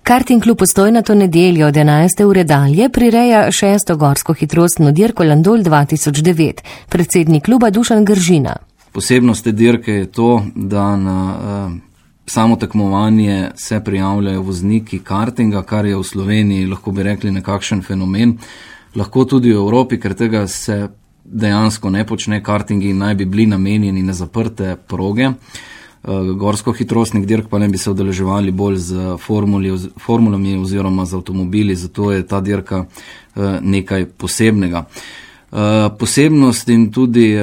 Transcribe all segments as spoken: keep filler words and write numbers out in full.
Karting klub Postojna to nedeljo od enajste ure dalje prireja šesto gorsko hitrostno dirko Landol dva tisoč devet. Predsednik kluba Dušan Gržina. Posebnost te dirke je to, da na uh, samo tekmovanje se prijavljajo vozniki kartinga, kar je v Sloveniji, lahko bi rekli, nekakšen fenomen. Lahko tudi v Evropi, ker tega se dejansko ne počne, kartingi naj bi bili namenjeni na zaprte proge. Gorsko hitrostnih dirk pa ne bi se udeleževali bolj z formuli, formulami oziroma z avtomobili, zato je ta dirka nekaj posebnega. Posebnost in tudi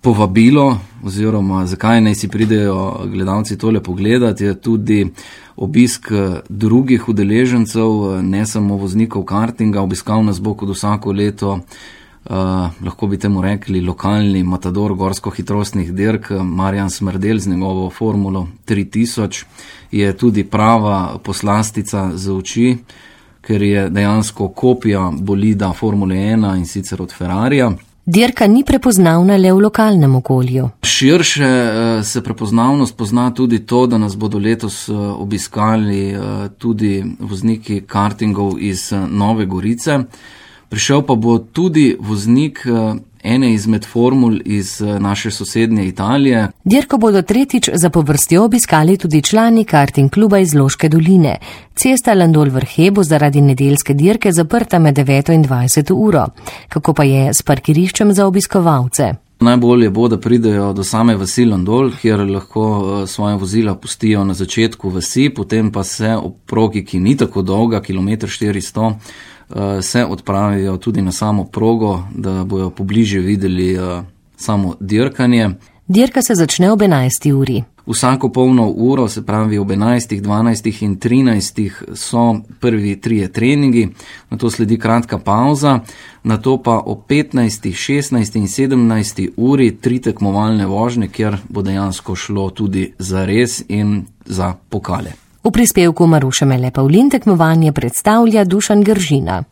povabilo oziroma zakaj naj si pridejo gledalci tole pogledati, je tudi obisk drugih udeležencev, ne samo voznikov kartinga. Obiskal nas bo kot vsako leto Uh, lahko bi temu rekli lokalni matador gorsko hitrostnih dirk Marjan Smrdel z njegovo formulo tri tisoč. Je tudi prava poslastica za oči, ker je dejansko kopija bolida Formule ena in sicer od Ferrarija. Dirka ni prepoznavna le v lokalnem okolju. Širše uh, se prepoznavnost pozna tudi to, da nas bodo letos uh, obiskali uh, tudi vozniki kartingov iz uh, Nove Gorice. Prišel pa bo tudi voznik ene izmed formul iz naše sosednje Italije. Dirko bodo tretjič zapovrstjo obiskali tudi člani karting kluba iz Loške doline. Cesta Landol-Vrhe bo zaradi nedeljske dirke zaprta med deveto in dvajseto uro. Kako pa je s parkiriščem za obiskovalce? Najbolje bo, da pridejo do same vasi Landol, kjer lahko svoje vozila pustijo na začetku vasi, potem pa se ob progi, ki ni tako dolga, kilometer štiristo, se odpravijo tudi na samo progo, da bojo pobliže videli samo dirkanje. Dirka se začne ob enajsti uri. Vsako polno uro, se pravi ob enajstih, dvanajstih in trinajstih so prvi trije treningi, nato sledi kratka pauza, nato pa ob petnajstih, šestnajstih in sedemnajsti uri tri tekmovalne vožnje, kjer bo dejansko šlo tudi za res in za pokale. V prispevku Maruše Mele Pavlin tekmovanje predstavlja Dušan Gržina.